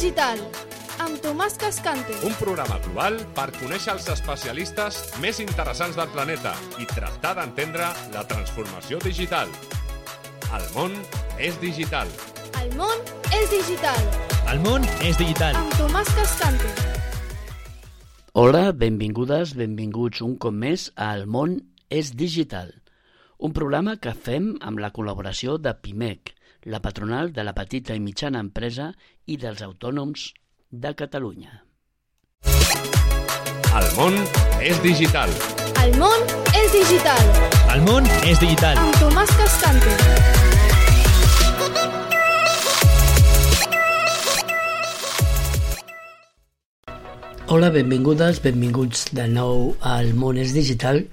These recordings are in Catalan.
digital, amb Tomàs Cascante. Un programa global per conèixer els especialistes més interessants del planeta i tractar d'entendre la transformació digital. El món és digital. El món és digital. El món és digital. Amb Tomàs Cascante. Hola, benvingudes, benvinguts un cop més a El món és digital, un programa que fem amb la col·laboració de PIMEC, la patronal de la petita i mitjana empresa i dels autònoms de Catalunya. El món és digital. El món és digital. El món és digital. Amb Tomàs Cascante. Hola, benvingudes, benvinguts de nou al món és digital.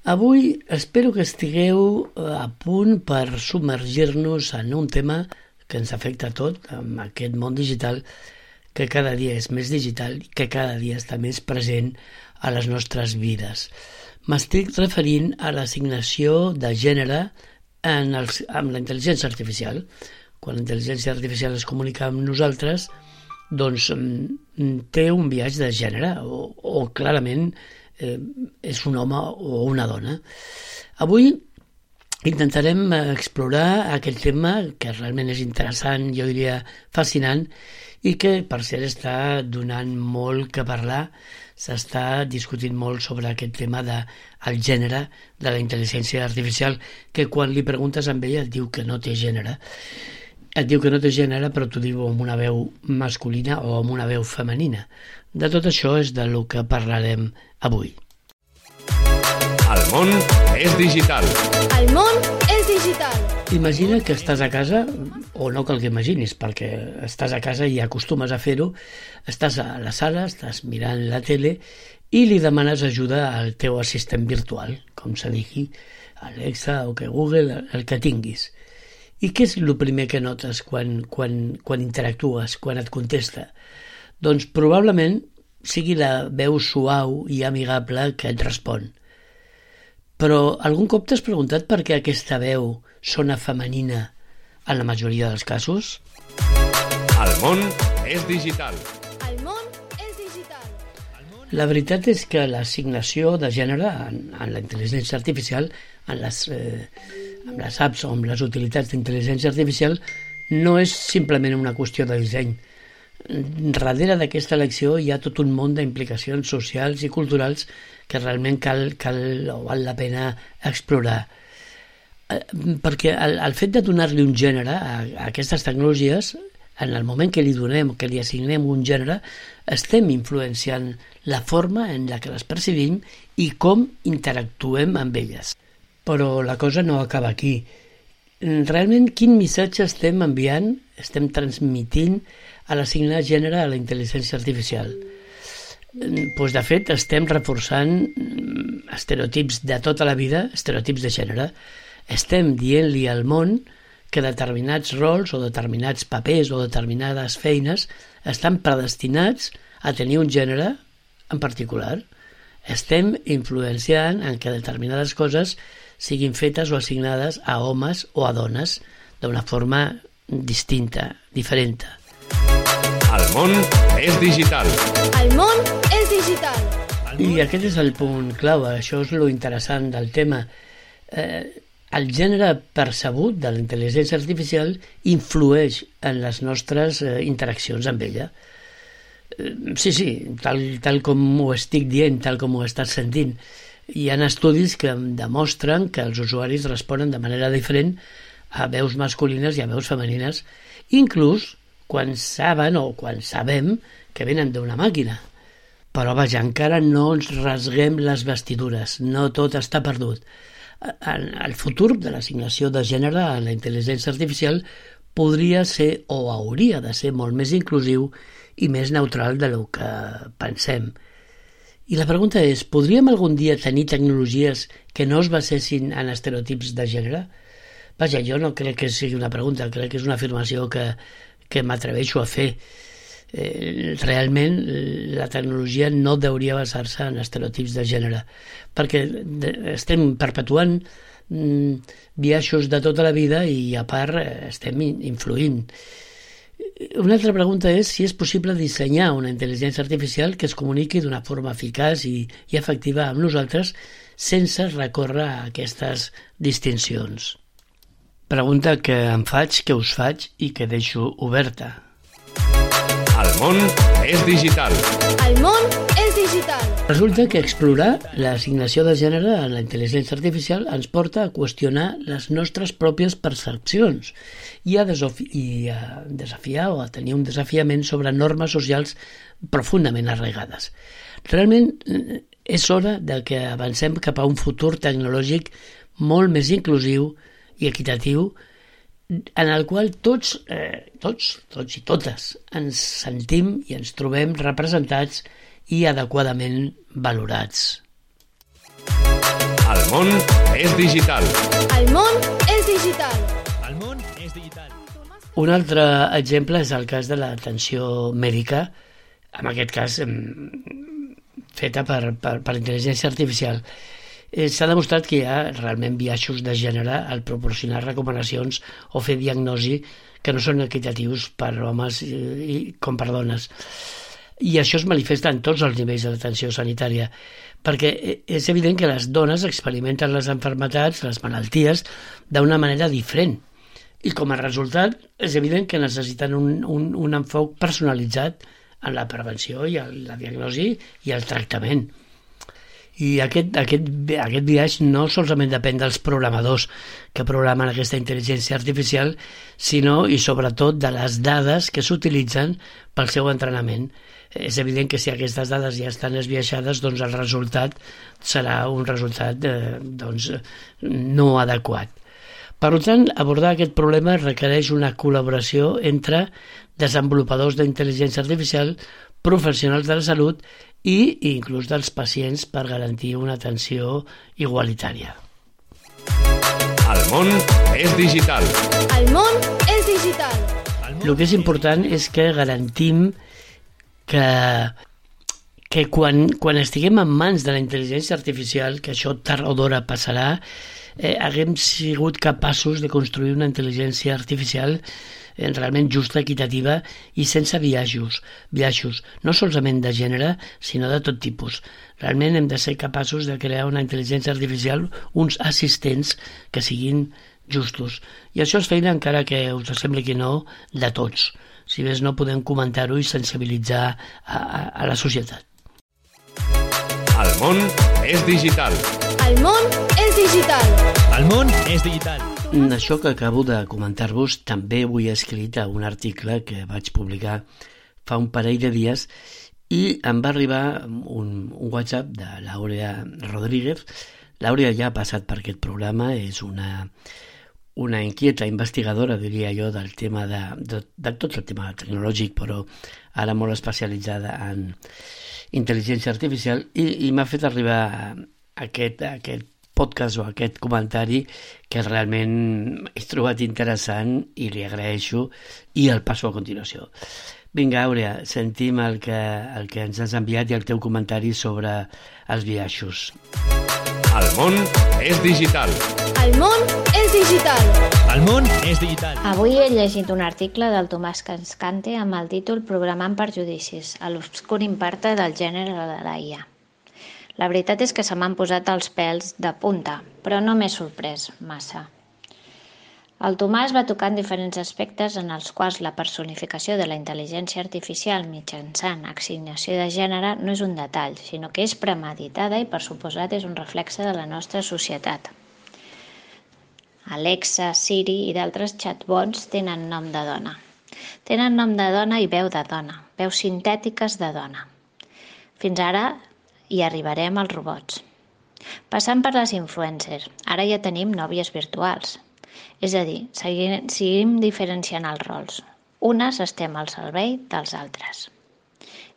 Avui espero que estigueu a punt per submergir-nos en un tema que ens afecta a tot, amb aquest món digital que cada dia és més digital i que cada dia està més present a les nostres vides. M'estic referint a l'assignació de gènere amb la intel·ligència artificial. Quan la intel·ligència artificial es comunica amb nosaltres, doncs té un biaix de gènere o clarament és un home o una dona. Avui intentarem explorar aquest tema que realment és interessant, jo diria fascinant, i que per cert està donant molt que parlar. S'està discutint molt sobre aquest tema del gènere de la intel·ligència artificial, que quan li preguntes a ella et diu que no té gènere. Et diu que no té gènere, però t'ho diu amb una veu masculina o amb una veu femenina. De tot això és del que parlarem avui. El món és digital. El món és digital. Imagina que estàs a casa, o no cal que imaginis, perquè estàs a casa i acostumes a fer-ho, estàs a la sala, estàs mirant la tele i li demanes ajuda al teu assistent virtual, com se digui, Alexa o que Google, el que tinguis. I què és el primer que notes quan interactues, quan et contesta? Doncs probablement sigui la veu suau i amigable que et respon. Però algun cop t'has preguntat per què aquesta veu sona femenina en la majoria dels casos? El món és digital. El món és digital. La veritat és que l'assignació de gènere en la intel·ligència artificial, amb les apps o amb les utilitats d'intel·ligència artificial, no és simplement una qüestió de disseny. Darrere d'aquesta elecció hi ha tot un món d'implicacions socials i culturals que realment cal o val la pena explorar. Perquè el fet de donar-li un gènere a aquestes tecnologies, en el moment que li donem, que li assignem un gènere, estem influenciant la forma en la que les percibim i com interactuem amb elles. Però la cosa no acaba aquí. Realment, quin missatge estem enviant, estem transmitint a l'assignar gènere a la intel·ligència artificial? Doncs, de fet, estem reforçant estereotips de tota la vida, estereotips de gènere. Estem dient-li al món que determinats rols o determinats papers o determinades feines estan predestinats a tenir un gènere en particular. Estem influenciant en que determinades coses siguin fetes o assignades a homes o a dones d'una forma distinta, diferent. El món és digital. El món és digital. I aquest és el punt clau, això és lo interessant del tema. El gènere percebut de la intel·ligència artificial influeix en les nostres interaccions amb ella. Sí, tal com ho estic dient, tal com ho estàs sentint. Hi ha estudis que demostren que els usuaris responen de manera diferent a veus masculines i a veus femenines, inclús quan saben o quan sabem que venen d'una màquina. Però vaja, encara no ens rasguem les vestidures, no tot està perdut. El futur de l'assignació de gènere a la intel·ligència artificial podria ser o hauria de ser molt més inclusiu i més neutral del que pensem. I la pregunta és, podríem algun dia tenir tecnologies que no es basessin en estereotips de gènere? Vaja, jo no crec que sigui una pregunta, crec que és una afirmació que m'atreveixo a fer. Realment la tecnologia no hauria basar-se en estereotips de gènere, perquè estem perpetuant biaixos de tota la vida i a part estem influint. Una altra pregunta és si és possible dissenyar una intel·ligència artificial que es comuniqui d'una forma eficaç i efectiva amb nosaltres sense recórrer a aquestes distincions. Pregunta que em faig, que us faig i que deixo oberta. El món és digital. El món és digital. Resulta que explorar l'assignació de gènere en la intel·ligència artificial ens porta a qüestionar les nostres pròpies percepcions i a desafiar o a tenir un desafiament sobre normes socials profundament arraigades. Realment és hora de que avancem cap a un futur tecnològic molt més inclusiu i equitatiu en el qual tots i totes ens sentim i ens trobem representats i adequadament valorats. El món és digital. El món és digital. El món és digital. Un altre exemple és el cas de l'atenció mèdica, en aquest cas feta per intel·ligència artificial. S'ha demostrat que hi ha realment biaixos de gènere al proporcionar recomanacions o fer diagnosi que no són equitatius per homes com per dones. I això es manifesta en tots els nivells de l'atenció sanitària, perquè és evident que les dones experimenten les malalties, les malalties, d'una manera diferent. I com a resultat és evident que necessiten un enfoc personalitzat en la prevenció i la diagnosi i el tractament. I aquest biaix no solament depèn dels programadors que programen aquesta intel·ligència artificial, sinó i sobretot de les dades que s'utilitzen pel seu entrenament. És evident que si aquestes dades ja estan esbiaixades, doncs el resultat serà un resultat no adequat. Per tant, abordar aquest problema requereix una col·laboració entre desenvolupadors d'intel·ligència artificial, professionals de la salut i inclús dels pacients per garantir una atenció igualitària. El món és digital. El món és digital. El que és important és que garantim que quan estiguem en mans de la intel·ligència artificial, que això tard o d'hora passarà, haguem sigut capaços de construir una intel·ligència artificial realment justa, equitativa i sense biaixos, no solament de gènere, sinó de tot tipus. Realment hem de ser capaços de crear una intel·ligència artificial, uns assistents que siguin justos. I això és feina, encara que us sembli que no, de tots. Si més no, podem comentar-ho i sensibilitzar a la societat. El món és digital. El món és digital. El món és digital. Això que acabo de comentar-vos també ho he escrit a un article que vaig publicar fa un parell de dies i em va arribar un WhatsApp de l'Àurea Rodríguez. L'Àurea ja ha passat per aquest programa, és una inquieta investigadora, diria jo, del tema de tot el tema tecnològic, però ara molt especialitzada en intel·ligència artificial, i m'ha fet arribar aquest podcast o aquest comentari que realment he trobat interessant i li agraeixo i el passo a continuació. Vinga, Àurea, sentim el que ens has enviat i el teu comentari sobre els biaixos. El món és digital. El món és digital. El món és digital. Avui he llegit un article del Tomàs Cascante amb el títol Programant per judicis, a l'obscur impacte del gènere de la IA. La veritat és que se m'han posat els pèls de punta, però no m'he sorprès massa. El Tomàs va tocar en diferents aspectes en els quals la personificació de la intel·ligència artificial mitjançant assignació de gènere no és un detall, sinó que és premeditada i, per suposat, és un reflexe de la nostra societat. Alexa, Siri i d'altres chatbots tenen nom de dona. Tenen nom de dona i veu de dona, veus sintètiques de dona. Fins ara hi arribarem als robots. Passant per les influencers, ara ja tenim nòvies virtuals. És a dir, seguim diferenciant els rols. Unes estem al servei dels altres.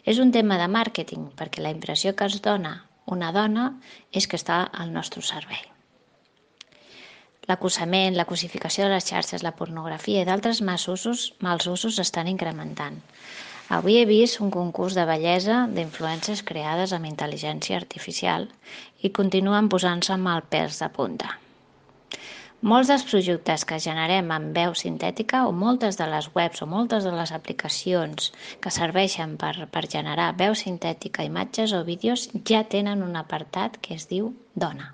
És un tema de màrqueting, perquè la impressió que es dona una dona és que està al nostre servei. L'acosament, la cosificació de les xarxes, la pornografia i d'altres mals usos estan incrementant. Avui he vist un concurs de bellesa d'influències creades amb intel·ligència artificial i continuen posant-se amb el pèls de punta. Molts dels projectes que generem amb veu sintètica o moltes de les webs o moltes de les aplicacions que serveixen per generar veu sintètica, imatges o vídeos ja tenen un apartat que es diu dona.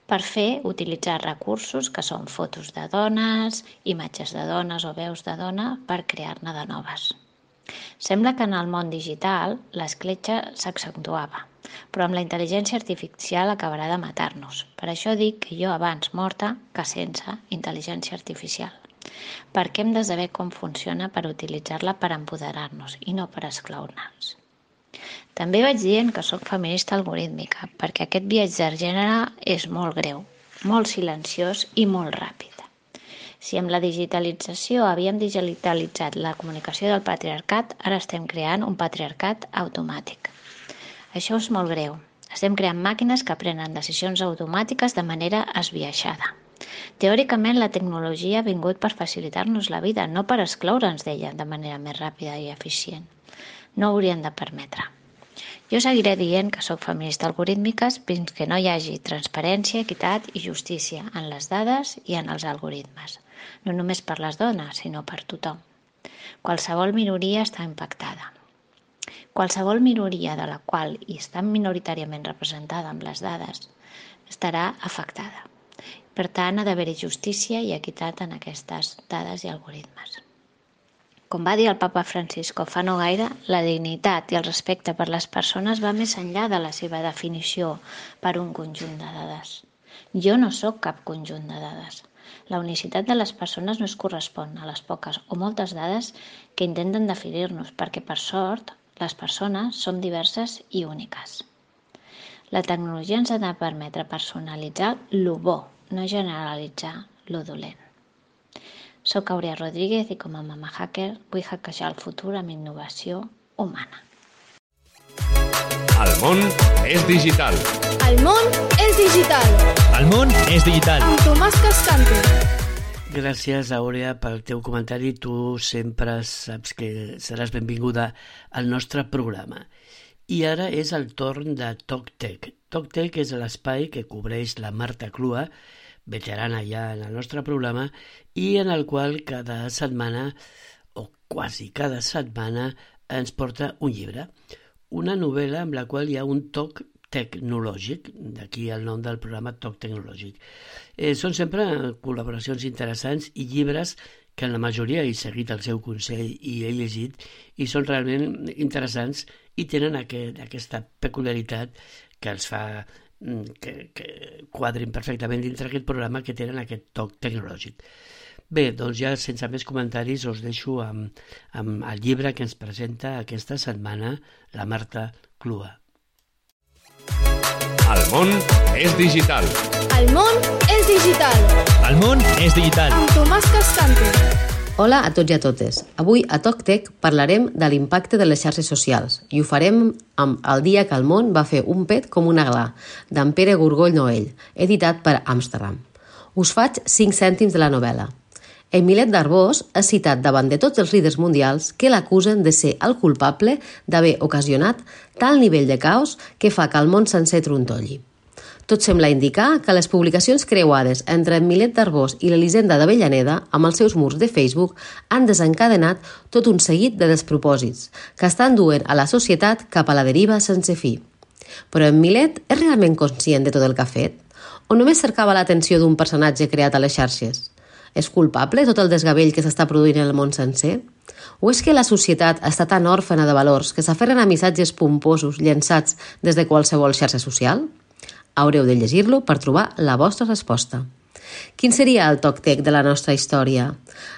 Per fer, utilitzar recursos que són fotos de dones, imatges de dones o veus de dona per crear-ne de noves. Sembla que en el món digital l'escletxa s'accentuava, però amb la intel·ligència artificial acabarà de matar-nos. Per això dic que jo abans morta que sense intel·ligència artificial, perquè hem de saber com funciona per utilitzar-la per empoderar-nos i no per esclaure-nos. També vaig dient que sóc feminista algorítmica, perquè aquest viatge de gènere és molt greu, molt silenciós i molt ràpid. Si amb la digitalització havíem digitalitzat la comunicació del patriarcat, ara estem creant un patriarcat automàtic. Això és molt greu. Estem creant màquines que prenen decisions automàtiques de manera esbiaixada. Teòricament, la tecnologia ha vingut per facilitar-nos la vida, no per excloure'ns d'ella de manera més ràpida i eficient. No ho hauríem de permetre. Jo seguiré dient que sóc feminista algorítmica fins que no hi hagi transparència, equitat i justícia en les dades i en els algoritmes. No només per les dones, sinó per tothom. Qualsevol minoria està impactada. Qualsevol minoria de la qual hi està minoritàriament representada amb les dades estarà afectada. Per tant, ha d'haver-hi justícia i equitat en aquestes dades i algoritmes. Com va dir el papa Francisco fa no gaire, la dignitat i el respecte per les persones va més enllà de la seva definició per un conjunt de dades. Jo no sóc cap conjunt de dades. La unicitat de les persones no es correspon a les poques o moltes dades que intenten definir-nos, perquè per sort les persones som diverses i úniques. La tecnologia ens ha de permetre personalitzar lo bo, no generalitzar lo dolent. Soc Aurea Rodríguez i com a mama hacker vull hackejar el futur amb innovació humana. El món és digital. El món és digital. El món és digital. Amb Tomàs Cascante. Gràcies, Aurea, pel teu comentari. Tu sempre saps que seràs benvinguda al nostre programa. I ara és el torn de TalkTech. TalkTech és l'espai que cobreix la Marta Clua, veterana ja en el nostre programa, i en el qual cada setmana, o quasi cada setmana, ens porta un llibre, una novel·la amb la qual hi ha un toc tecnològic, d'aquí el nom del programa Toc Tecnològic. Són sempre col·laboracions interessants i llibres que en la majoria he seguit el seu consell i he llegit i són realment interessants i tenen aquesta peculiaritat que els fa que quadrin perfectament dintre aquest programa, que tenen aquest toc tecnològic. Bé, doncs ja sense més comentaris us deixo amb el llibre que ens presenta aquesta setmana la Marta Clua. El món és digital. El món és digital. El món és digital. Amb Tomàs Cascante. Hola a tots i a totes. Avui a TalkTech parlarem de l'impacte de les xarxes socials i ho farem amb El dia que el món va fer un pet com una gla, d'en Pere Gorgoll Noell, editat per Amsterdam. Us faig 5 cèntims de la novel·la. Emilet d'Arbós ha citat davant de tots els líders mundials que l'acusen de ser el culpable d'haver ocasionat tal nivell de caos que fa que el món sencer trontolli. Tot sembla indicar que les publicacions creuades entre Emilet d'Arbós i l'Elisenda d'Avellaneda amb els seus murs de Facebook han desencadenat tot un seguit de despropòsits que estan duent a la societat cap a la deriva sense fi. Però Emilet és realment conscient de tot el que ha fet? O només cercava l'atenció d'un personatge creat a les xarxes? És culpable tot el desgavell que s'està produint en el món sencer? O és que la societat està tan òrfena de valors que s'aferren a missatges pomposos llançats des de qualsevol xarxa social? Haureu de llegir-lo per trobar la vostra resposta. Quin seria el TalkTech de la nostra història?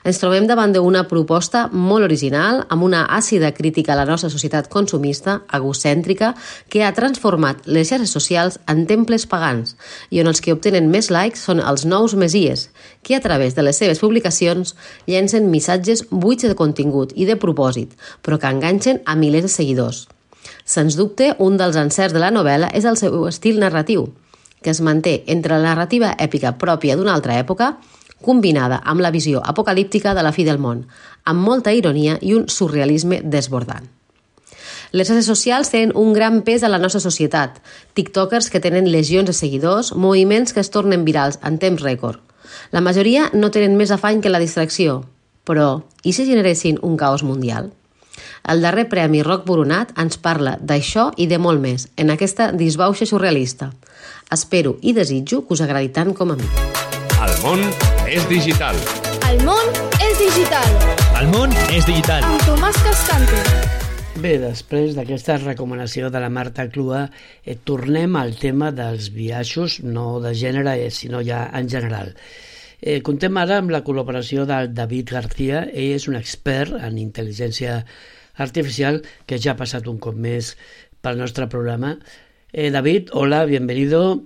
Ens trobem davant d'una proposta molt original, amb una àcida crítica a la nostra societat consumista, egocèntrica, que ha transformat les xarxes socials en temples pagans i on els que obtenen més likes són els nous messies, que a través de les seves publicacions llencen missatges buits de contingut i de propòsit, però que enganxen a milers de seguidors. Sens dubte, un dels encerts de la novel·la és el seu estil narratiu, que es manté entre la narrativa èpica pròpia d'una altra època, combinada amb la visió apocalíptica de la fi del món, amb molta ironia i un surrealisme desbordant. Les xarxes socials tenen un gran pes a la nostra societat, tiktokers que tenen legions de seguidors, moviments que es tornen virals en temps rècord. La majoria no tenen més afany que la distracció, però i si generessin un caos mundial? El darrer premi Roc Boronat ens parla d'això i de molt més, en aquesta disbauxa surrealista. Espero i desitjo que us agradi tant com a mi. El món és digital. El món és digital. El món és digital. Amb Tomàs Cascante. Bé, després d'aquesta recomanació de la Marta Clua, tornem al tema dels biaixos, no de gènere, sinó ja en general. Contem ara amb la col·laboració del David García. Ell és un expert en intel·ligència artificial que ja ha passat un cop més pel nostre programa. David, hola, bienvenido.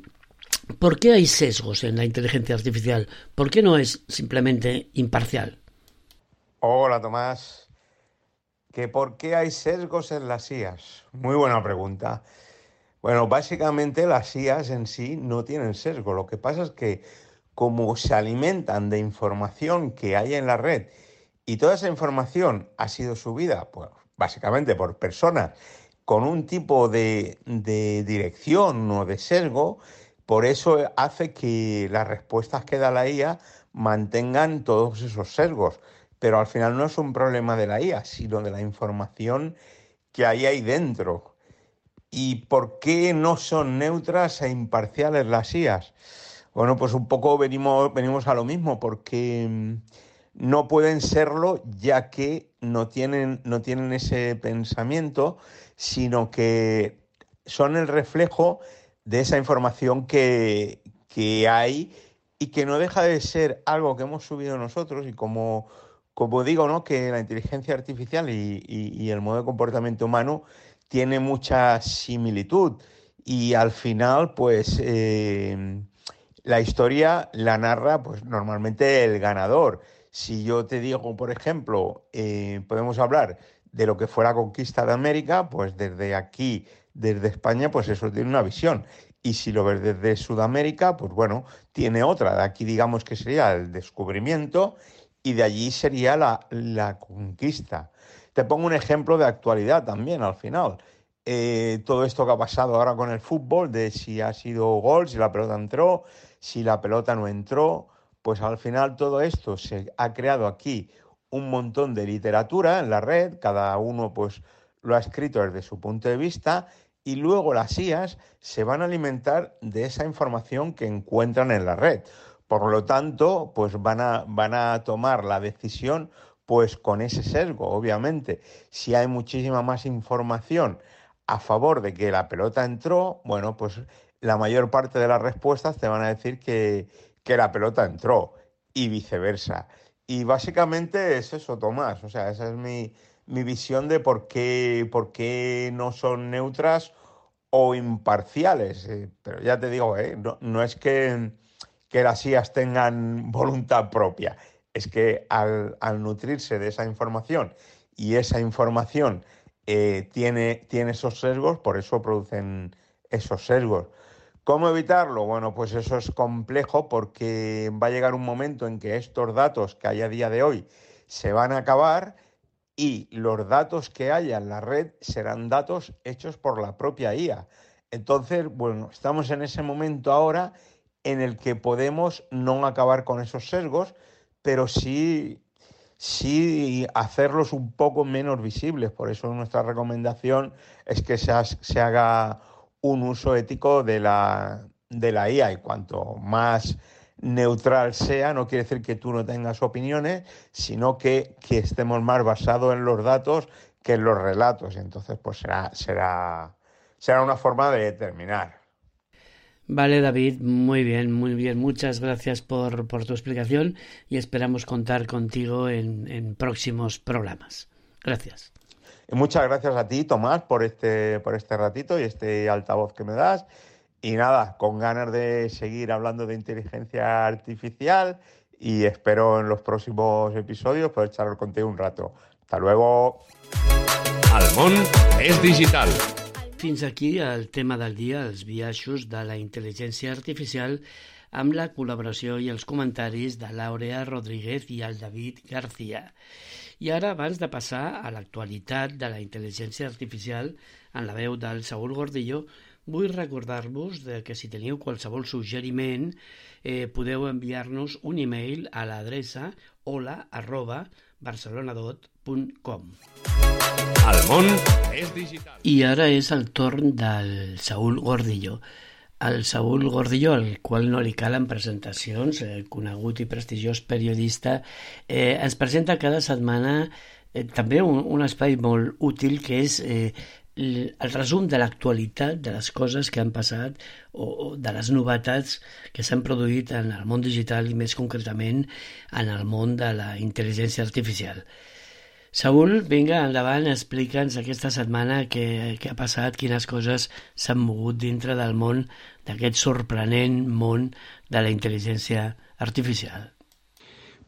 ¿Por qué hay sesgos en la inteligencia artificial? ¿Por qué no es simplemente imparcial? Hola, Tomás. ¿Por qué hay sesgos en las IAs? Muy buena pregunta. Bueno, básicamente las IAs en sí no tienen sesgo. Lo que pasa es que como se alimentan de información que hay en la red y toda esa información ha sido subida, pues, básicamente por personas con un tipo de dirección o de sesgo, por eso hace que las respuestas que da la IA mantengan todos esos sesgos. Pero al final no es un problema de la IA, sino de la información que hay ahí dentro. ¿Y por qué no son neutras e imparciales las IAs? Bueno, pues un poco venimos a lo mismo, porque no pueden serlo, ya que no tienen ese pensamiento, sino que son el reflejo de esa información que hay y que no deja de ser algo que hemos subido nosotros. Y como digo, ¿no?, que la inteligencia artificial y el modo de comportamiento humano tiene mucha similitud, y al final pues la historia la narra pues normalmente el ganador. Si yo te digo, por ejemplo, podemos hablar de lo que fue la conquista de América, pues desde aquí, desde España, pues eso tiene una visión. Y si lo ves desde Sudamérica, pues bueno, tiene otra. De aquí digamos que sería el descubrimiento y de allí sería la conquista. Te pongo un ejemplo de actualidad también al final. Todo esto que ha pasado ahora con el fútbol, de si ha sido gol, si la pelota entró, si la pelota no entró, pues al final todo esto se ha creado aquí un montón de literatura en la red, cada uno pues lo ha escrito desde su punto de vista, y luego las IAs se van a alimentar de esa información que encuentran en la red. Por lo tanto, pues van a tomar la decisión pues con ese sesgo, obviamente. Si hay muchísima más información a favor de que la pelota entró, bueno, pues la mayor parte de las respuestas te van a decir que la pelota entró, y viceversa. Y básicamente es eso, Tomás. O sea, esa es mi visión de por qué no son neutras o imparciales. Pero ya te digo, no es que las IAs tengan voluntad propia. Es que al nutrirse de esa información, y esa información tiene esos sesgos, por eso producen esos sesgos. ¿Cómo evitarlo? Bueno, pues eso es complejo, porque va a llegar un momento en que estos datos que hay a día de hoy se van a acabar, y los datos que haya en la red serán datos hechos por la propia IA. Entonces, bueno, estamos en ese momento ahora en el que podemos no acabar con esos sesgos, pero sí hacerlos un poco menos visibles. Por eso nuestra recomendación es que se haga un uso ético de la IA, y cuanto más neutral sea, no quiere decir que tú no tengas opiniones, sino que estemos más basados en los datos que en los relatos. Entonces, pues será una forma de terminar. Vale, David, muy bien. Muchas gracias por tu explicación, y esperamos contar contigo en próximos programas. Gracias. Y muchas gracias a ti, Tomás, por este ratito y este altavoz que me das. Y nada, con ganas de seguir hablando de inteligencia artificial, y espero en los próximos episodios poder charlar contigo un rato. Hasta luego. El món és digital. Fins aquí el tema del dia, els biaixos de la intel·ligència artificial, amb la col·laboració i els comentaris de l'Àurea Rodríguez i el David García. I ara, abans de passar a l'actualitat de la intel·ligència artificial en la veu del Saúl Gordillo, vull recordar-vos que si teniu qualsevol suggeriment podeu enviar-nos un e-mail a l'adreça hola@barcelonadot.com. El món és digital. I ara és el torn del Saúl Gordillo. El Saúl Gordillo, al qual no li calen presentacions, conegut i prestigiós periodista, ens presenta cada setmana també un espai molt útil que és el resum de l'actualitat, de les coses que han passat o de les novetats que s'han produït en el món digital i més concretament en el món de la intel·ligència artificial. Saúl, vinga, endavant, explica'ns aquesta setmana què ha passat, quines coses s'han mogut dintre del món, d'aquest sorprenent món de la intel·ligència artificial.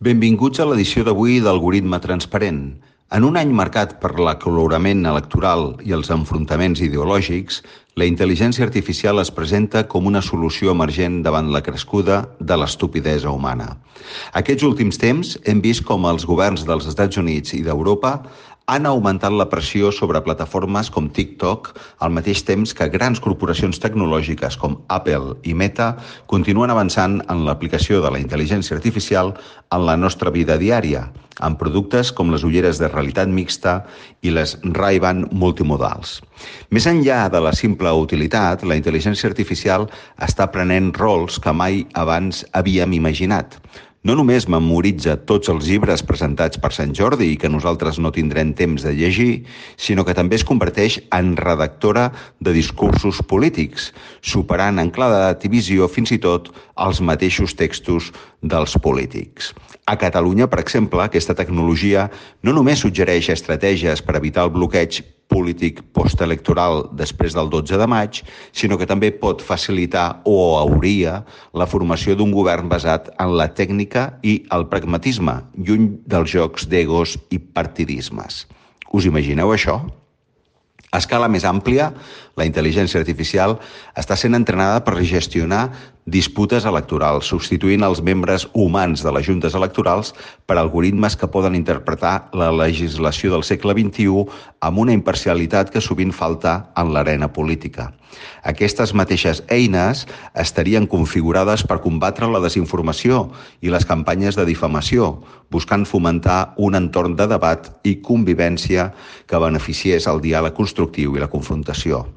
Benvinguts a l'edició d'avui d'Algoritme Transparent. En un any marcat per l'acalorament electoral i els enfrontaments ideològics, la intel·ligència artificial es presenta com una solució emergent davant la crescuda de l'estupidesa humana. Aquests últims temps hem vist com els governs dels Estats Units i d'Europa han augmentat la pressió sobre plataformes com TikTok al mateix temps que grans corporacions tecnològiques com Apple i Meta continuen avançant en l'aplicació de la intel·ligència artificial en la nostra vida diària, amb productes com les ulleres de realitat mixta i les Ray-Ban multimodals. Més enllà de la simple utilitat, la intel·ligència artificial està prenent rols que mai abans havíem imaginat. No només memoritza tots els llibres presentats per Sant Jordi i que nosaltres no tindrem temps de llegir, sinó que també es converteix en redactora de discursos polítics, superant en claredat i visió fins i tot els mateixos textos dels polítics. A Catalunya, per exemple, aquesta tecnologia no només suggereix estratègies per evitar el bloqueig polític postelectoral després del 12 de maig, sinó que també pot facilitar o hauria la formació d'un govern basat en la tècnica i el pragmatisme, lluny dels jocs d'egos i partidismes. Us imagineu això? A escala més àmplia, la intel·ligència artificial està sent entrenada per gestionar disputes electorals, substituint els membres humans de les juntes electorals per algoritmes que poden interpretar la legislació del segle XXI amb una imparcialitat que sovint falta en l'arena política. Aquestes mateixes eines estarien configurades per combatre la desinformació i les campanyes de difamació, buscant fomentar un entorn de debat i convivència que beneficiés el diàleg constructiu i la confrontació.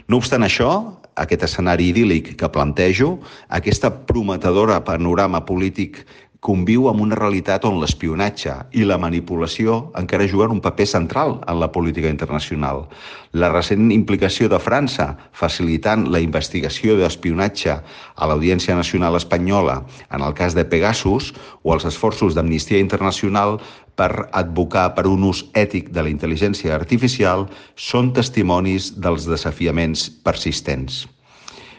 No obstant això, aquest escenari idíl·lic que plantejo, aquesta prometedora panorama polític conviu amb una realitat on l'espionatge i la manipulació encara juguen un paper central en la política internacional. La recent implicació de França, facilitant la investigació d'espionatge a l'Audiència Nacional Espanyola en el cas de Pegasus, o els esforços d'Amnistia Internacional per advocar per un ús ètic de la intel·ligència artificial, són testimonis dels desafiaments persistents.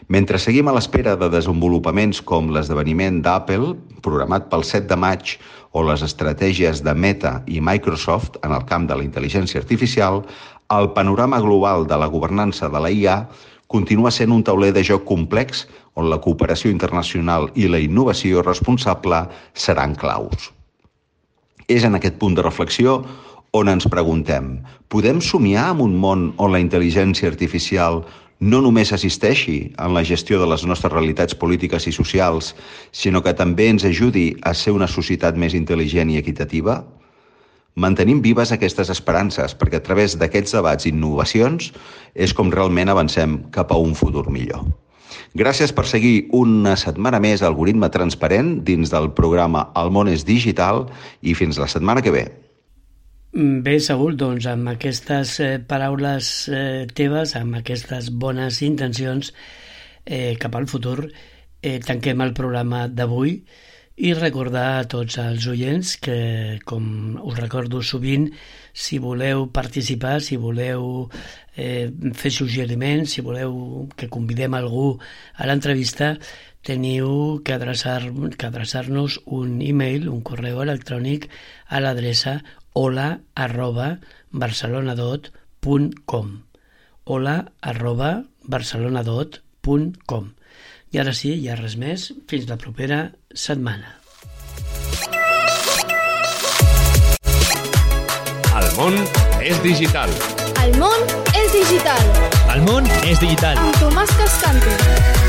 Mentre seguim a l'espera de desenvolupaments com l'esdeveniment d'Apple, programat pel 7 de maig, o les estratègies de Meta i Microsoft en el camp de la intel·ligència artificial, el panorama global de la governança de la IA continua sent un tauler de joc complex on la cooperació internacional i la innovació responsable seran claus. És en aquest punt de reflexió on ens preguntem, podem somiar en un món on la intel·ligència artificial no només assisteixi en la gestió de les nostres realitats polítiques i socials, sinó que també ens ajudi a ser una societat més intel·ligent i equitativa? Mantenim vives aquestes esperances, perquè a través d'aquests debats i innovacions és com realment avancem cap a un futur millor. Gràcies per seguir una setmana més Algoritme Transparent dins del programa El món és digital i fins la setmana que ve. Bé, Saúl, doncs amb aquestes paraules teves, amb aquestes bones intencions cap al futur, tanquem el programa d'avui i recordar a tots els oients que, com us recordo sovint, si voleu participar, si voleu fer suggeriments, si voleu que convidem algú a l'entrevista, teniu que adreçar-nos un e-mail, un correu electrònic a l'adreça hola@barcelonadot.com hola@barcelonadot.com. I ara sí, ja res més, fins la propera setmana. El món és digital. El món és digital. El món és digital. Amb Tomàs Cascante.